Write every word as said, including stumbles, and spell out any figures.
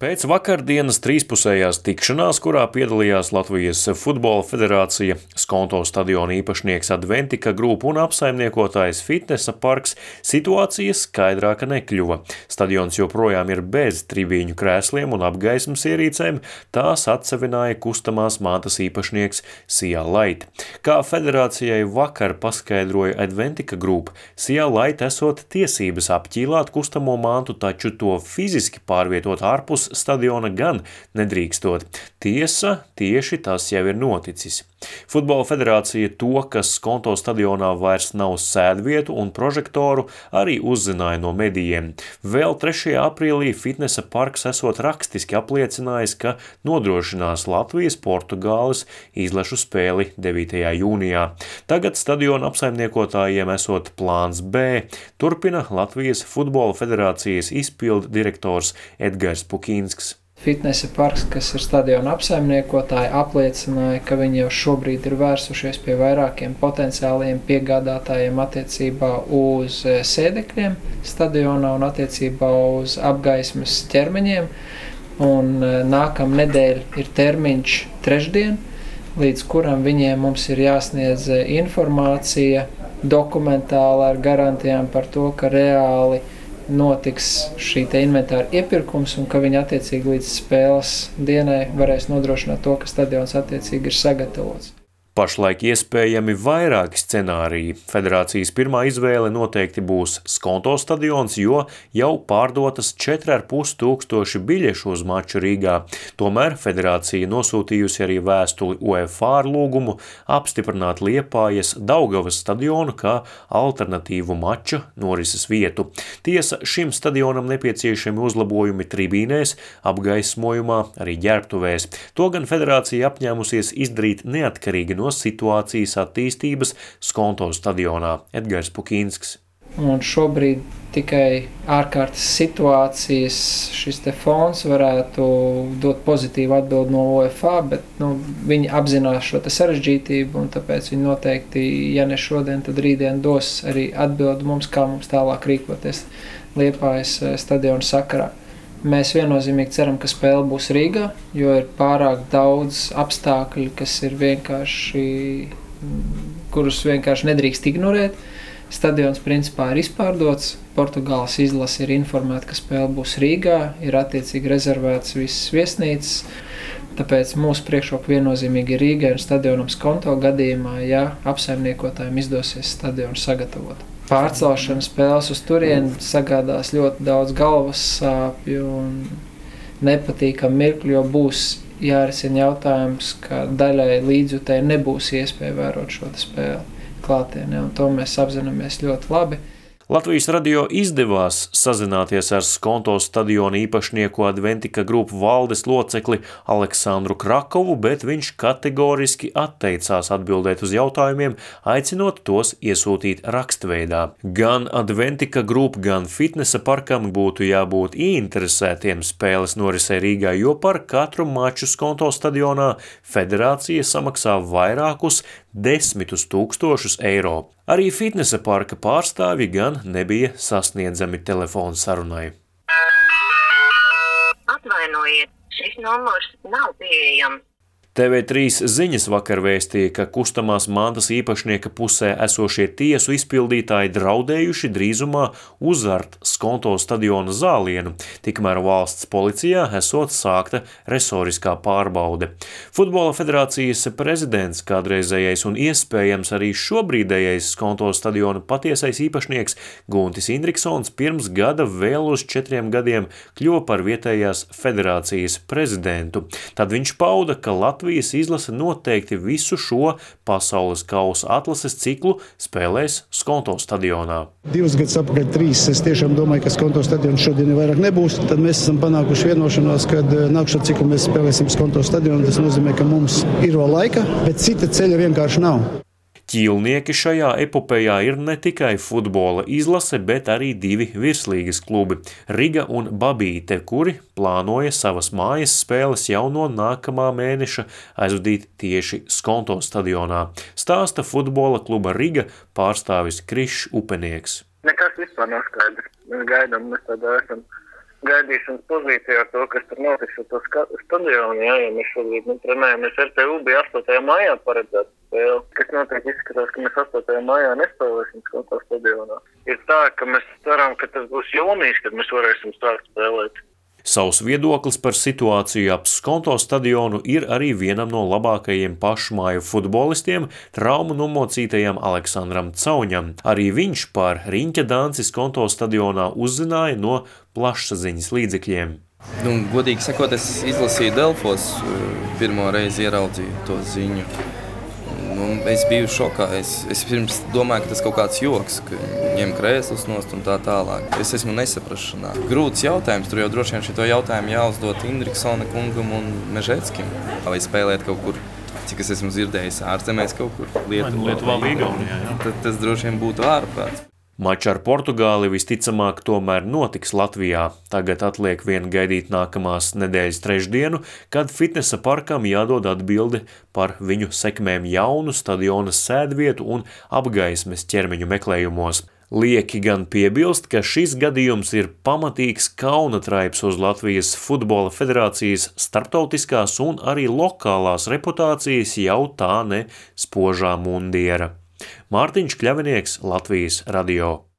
Pēc vakardienas trīspusējās tikšanās, kurā piedalījās Latvijas Futbola Federācija, Skonto stadiona īpašnieks Adventika grupa un apsaimniekotājs Fitnesa parks, situācija skaidrāka nekļuva. Stadions joprojām ir bez tribīņu krēsliem un apgaismas ierīcēm, tās atsevināja kustamās mantas īpašnieks Sea Light. Kā federācijai vakar paskaidroja Adventika grupa, Sea Light esot tiesības apķīlāt kustamo mantu, taču to fiziski pārvietot ārpus stadiona gan nedrīkstot. Tiesa, tieši tas jau ir noticis. Futbola federācija to, ka Skonto stadionā vairs nav sēdvietu un prožektoru, arī uzzināja no medijiem. Vēl trešajā aprīlī Fitnesa parks esot rakstiski apliecinājis, ka nodrošinās Latvijas Portugāles izlašu spēli devītajā jūnijā. Tagad stadiona apsaimniekotājiem esot plāns B, turpina Latvijas Futbola federācijas izpildu direktors Edgars Pukinsks. Fitnesa parks, kas ir stadiona apsaimniekotāji, apliecināja, ka viņi jau šobrīd ir vērsušies pie vairākiem potenciāliem piegādātājiem attiecībā uz sēdekļiem stadionā un attiecībā uz apgaismas ķermeņiem. Un nākam nedēļ ir termiņš trešdien, līdz kuram viņiem mums ir jāsniedz informācija dokumentāli ar garantijām par to, ka reāli notiks šī te inventāra iepirkums un ka viņi attiecīgi līdz spēles dienai varēs nodrošināt to, ka stadions attiecīgi ir sagatavots. Pašlaik iespējami vairāki scenāriji. Federācijas pirmā izvēle noteikti būs Skonto stadions, jo jau pārdotas četri ar pus tūkstoši biļešu uz maču Rīgā. Tomēr federācija nosūtījusi arī vēstuli UEFA ar lūgumu apstiprināt Liepājas Daugavas stadionu kā alternatīvu mača norises vietu. Tiesa, šim stadionam nepieciešami uzlabojumi tribīnēs, apgaismojumā, arī ģērbtuvēs. To gan federācija apņēmusies izdarīt neatkarīgi no situācijas attīstības Skonto stadionā. Edgars Pukinsks. Un šobrīd tikai ārkārtas situācijas šis te fonds varētu dot pozitīvu atbildi no UEFA, bet nu, viņi apzinās šo te sarežģītību un tāpēc viņi noteikti, ja ne šodien, tad rītdien dos arī atbildi mums, kā mums tālāk rīkoties Liepājas stadiona sakarā. Mēs viennozīmīgi ceram, ka spēle būs Rīgā, jo ir pārāk daudz apstākļu, kas ir vienkārši, kurus vienkārši nedrīkst ignorēt. Stadions principā ir izpārdots, Portugāles izlase ir informēta, ka spēle būs Rīgā, ir attiecīgi rezervēts visas viesnīcas, tāpēc mūsu priekšroka viennozīmīgi ir Rīgai un stadionam Skonto gadījumā, ja apsaimniekotājiem izdosies stadionu sagatavot. Pārcelšana spēles uz turieni sagādās ļoti daudz galvas sāpju un nepatīkam mirkļu, jo būs jārisina jautājums, ka daļai līdzjutēji nebūs iespēja vērot šo spēli klātienē, un to mēs apzināmies ļoti labi. Latvijas radio izdevās sazināties ar Skonto stadiona īpašnieku Adventika grupu valdes locekli Aleksandru Krakovu, bet viņš kategoriski atteicās atbildēt uz jautājumiem, aicinot tos iesūtīt rakstveidā. Gan Adventika grupa, gan Fitnesa parkam būtu jābūt ieinteresētiem spēles norisē Rīgā, jo par katru maču Skonto stadionā federācija samaksā vairākus desmitus tūkstošus eiro. Arī Fitnesa parka pārstāvji gan nebija sasniedzami telefonu sarunai. Atvainojiet, šis numurs nav pieejams. T V trīs ziņas vakar vēstīja, ka kustamās mantas īpašnieka pusē esošie tiesu izpildītāji draudējuši drīzumā uzart Skonto stadiona zālienu, tikmēr valsts policijā esot sākta resoriskā pārbaude. Futbola federācijas prezidents, kādreizējais un iespējams arī šobrīdējais Skonto stadiona patiesais īpašnieks Guntis Indriksons pirms gada vēl uz četriem gadiem kļuva par vietējās federācijas prezidentu. Tad viņš pauda, ka Latvijas izlase noteikti visu šo pasaules kausa atlases ciklu spēlēs Skonto stadionā. Divus gadus apakaļ trīs, es tiešām domāju, ka Skonto stadions šodien vairāk nebūs. Tad mēs esam panākuši vienošanos, kad nākšā ciklu mēs spēlēsim Skonto stadionu. Tas nozīmē, ka mums ir vēl laika, bet cita ceļa vienkārši nav. Ķīlnieki šajā epopejā ir ne tikai futbola izlase, bet arī divi virslīgas klubi – Riga un Babīte, kuri plānoja savas mājas spēles jau no nākamā mēneša aizvadīt tieši Skonto stadionā, stāsta futbola kluba Riga pārstāvis Krišs Upenieks. Nekas vispār nav skaidrs. Mēs gaidām, mēs tādā esam gaidīšanas pozīcijā ar to, kas tur notiks ar to stadionu, jā, ja mēs šobrīd nu, trenējamies R T U, bija astotajā maijā paredzēta spēle, kas noteikti izskatās, ka mēs astotajā maijā nespēlēsim Skonto stadionā. Ir tā, ka mēs ceram, ka tas būs jūnijas, kad mēs varēsim sākt spēlēt. Savs viedoklis par situāciju ap Skonto stadionu ir arī vienam no labākajiem pašmāju futbolistiem, traumu nomocītajam Aleksandram Cauņam. Arī viņš par riņķa danci Skonto stadionā uzzināja no plašsaziņas līdzekļiem. Nu, godīgi sakot, es izlasīju Delfos, pirmo reizi ieraudzīju to ziņu. Nu, es biju šokā. Es, es pirms domāju, ka tas kaut kāds joks, ka ņem krēslus nost un tā tālāk. Es esmu nesaprašanā. Grūts jautājums, tur jau droši vien šito jautājumu jāuzdot Indriksona kungam un Mežeckim. Vai spēlēt kaut kur, cik es esmu dzirdējis, ārzemēs kaut kur Lietuvā. Lietuvā vai Igaunijā, jā. Tad tas droši vien būtu ārprāts. Mačs ar Portugāli visticamāk tomēr notiks Latvijā. Tagad atliek vien gaidīt nākamās nedēļas trešdienu, kad fitnesa parkam jādod atbildi par viņu sekmēm jaunu stadiona sēdvietu un apgaismes ķermeņu meklējumos. Lieki gan piebilst, ka šis gadījums ir pamatīgs kaunatraips uz Latvijas futbola federācijas starptautiskās un arī lokālās reputācijas jau tā ne spožā mundiera. Mārtiņš Kļavinieks, Latvijas radio.